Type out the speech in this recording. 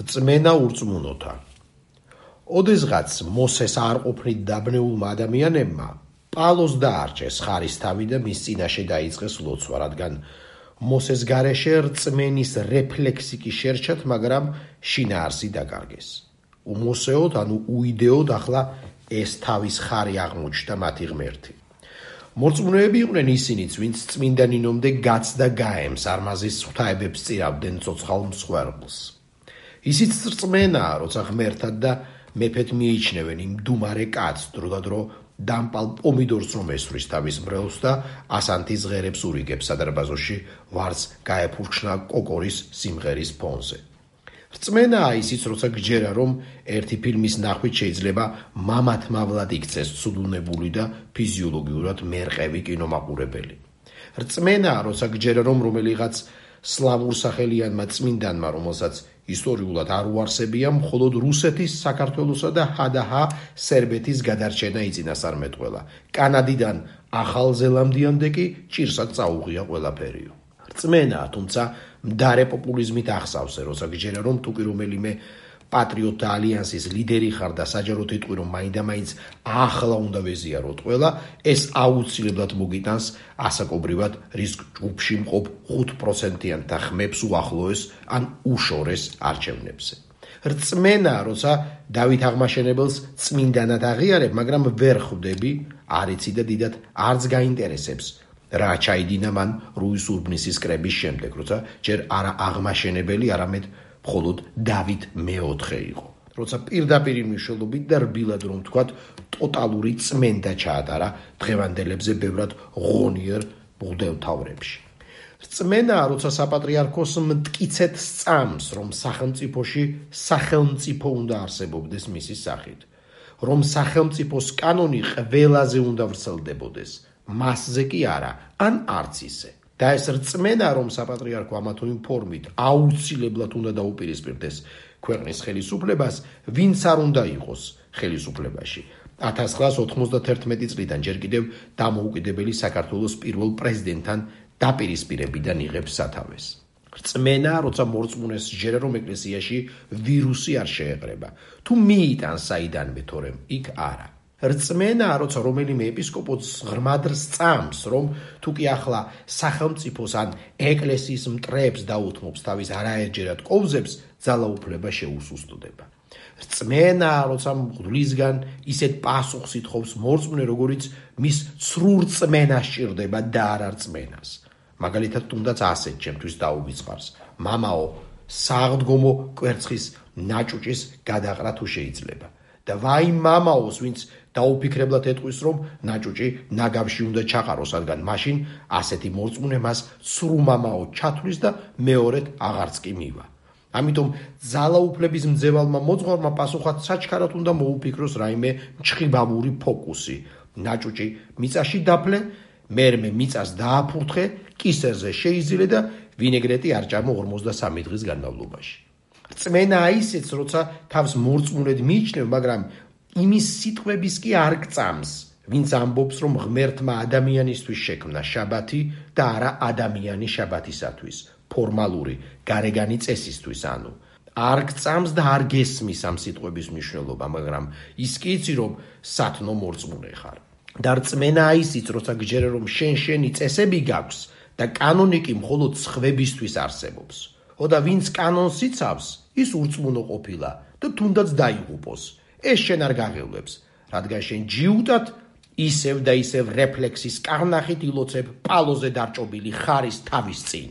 რწმენა ურწმუნოთა. ოდესღაც მოსეს არ ყოფნით დაბნეულმა ადამიანებმა პალოს დაარჩეს ხარისთავი და მის წინაშე დაიწყეს ლოცვა, რადგან მოსეს გარეშე რწმენის რეფლექსი კი შერჩათ, მაგრამ შინაარსი დაკარგეს. უმოსეოდ, ანუ უიდეოდ ახლა ეს თავის ხარი აღმოჩნდა მათი ღმერთი. მორწმუნეები იყვნენ ისინიც, ვინც წმინდა ნინომდე გაცდა გაემს, არმაზის ღვთაებებს წირავდნენ ცოცხალ მსხვერპლს. ისიც რწმენაა, როცა ღმერთად და მეფედ მიიჩნევენ იმ დუმარე კაცს, დროდადრო დამპალ პომიდორს რომ ესვრის თავის მრევლს და ასანთის ღერებს ურიგებს სადარბაზოში ვარს გაეფურჩნა კოკორის სიმღერის ფონზე. რწმენაა ისიც, როცა გჯერა, რომ ერთი ფილმის ნახვით შეიძლება მამათმავლად იქცეს ცუდუნებული და ფიზიოლოგიურად მერყევი კინომაყურებელი. რწმენაა, როცა გჯერა, რომ რომელიღაც სლავურ სახელიანმა წმინდანმა, რომელსაც ისტორიულად არ უარსებია, მხოლოდ რუსეთის, საქართველოსა და ჰადაჰა სერბეთის გადარჩენა იწინასწარმეტყველა. კანადიდან ახალ ზელანდიამდე კი ჭირსად წაუღია ყველაფერიო. რწმენაა, თუმცა მდარე პოპულიზმით ახსავსე, როცა გჯერა, რომ თუ კი რომელიმე პატრიოტთა ალიანსის ლიდერი ხარ და საჯაროდ იტყვი, რომ მაინდა-მაინც ახლა უნდა ვეზიაროთ ყველა, ეს აუცილებლად მოგიტანს ასაკობრივად რის ჯგუფში მყოფ 5%-იანთა ხმებს უახლოეს ან უშორეს არჩევნებზე. რწმენაა, როცა დავით აღმაშენებელს წმინდანად აღიარებ, მაგრამ ვერ ხვდები, არ იცი და დიდად არც გაინტერესებს რა ჩაიდინა მან რუის ურბნისის კრების შემდეგ, როცა ჯერ არა აღმაშენებელი, არამედ მხოლოდ დავით მეოთხე იყო. როცა პირდაპირ მნიშვნელობით და რბილად რომ ვთქვათ, ტოტალური წმენდა ჩაატარა დღევანდელებზე ბევრად ღონიერ მღვდელმთავრებში. რწმენაა, როცა საპატრიარქოს მტკიცედ სწამს, რომ სახელმწიფოში სახელმწიფო უნდა არსებობდეს მისი სახით, რომ სახელმწიფოს კანონი ყველაზე უნდა ვრცელდებოდეს, მასზე კი არა, ან არც ისე. და ეს რწმენა, რომ საპატრიარქო ამა თუ იმ ფორმით აუცილებლად უნდა დაუპირისპირდეს ქვეყნის ხელისუფლებას, ვინც არ უნდა იყოს ხელისუფლებაში. 1991 წლიდან ჯერ კიდევ დამოუკიდებელი საქართველოს პირველ პრეზიდენტთან დაპირისპირებიდან იღებს სათავეს. რწმენაა, როცა მორწმუნეს სჯერა, რომ ეკლესიაში ვირუსი არ შეეყრება, თუ მიიტანს საიდანვე, თორემ იქ არა. რწმენაა, როცა რომელიმე ეპისკოპოსს ღრმად სწამს, რომ თუ კი ახლა სახელმწიფოს ან ეკლესიის მტრებს დაუთმობს თავის არაერთჯერად კოვზებს, ძალაუფლება შეუსუსტდება. რწმენაა, როცა მღვდლისგან ისეთ პასუხს ითხოვს მორწმუნე, როგორიც მის ცრუ რწმენას სჭირდება და არა რწმენას. მაგალითად, თუნდაც ასეთ ჩემთვის დაუვიწყარს: მამაო, საღდგომო კვერცხის ნაჭუჭის გადაყრა თუ შეიძლება. და ვაი მამაოს, ვინც დაუფიქრებლად ეტყვის, რომ ნაჭუჭი ნაგავში უნდა ჩაყაროს, რადგან მაშინ ასეთი მორწმუნე მას ცრუ მამაო ჩათვლის და მეორედ აღარც კი მივა. ამიტომ ძალაუფლების მძევალმა მოძღვარმა პასუხად საჩქარად უნდა მოუფიქროს რაიმე მჩხიბავური ფოკუსი. ნაჭუჭი მიწაში დაფლე, მერმე მიწას დააფურთხე, კისერზე შეიზილე და ვინეგრეტი არ ჭამო 53 დღის განმავლობაში. რწმენაა ისიც, როცა თავს მორწმუნედ მიიჩნევ, მაგრამ იმის სიტყვების კი არ გწამს, ვინც ამბობს, რომ ღმერთმა ადამიანისთვის შექმნა შაბათი და არა ადამიანი შაბათისათვის, ფორმალური, გარეგანი წესისთვის, ანუ არ გწამს და არ გესმის ამ სიტყვების მნიშვნელობა, მაგრამ ის კი იცი, რომ სათნო მორწმუნე ხარ. და რწმენაა ისიც, როცა გჯერა, რომ შენი წესები გაქვს და კანონი კი მხოლოდ სხვებისთვის არსებობს. და ვინც კანონს იცავს, ის ურწმუნო ყოფილა და თუნდაც დაიღუპოს. ეს შენ არ გაღელვებს, რადგან შენ ჯიუტად ისევ და ისევ რეფლექსის კარნახით ილოცებ პალოზე დარჭობილი ხარის თავის წინ.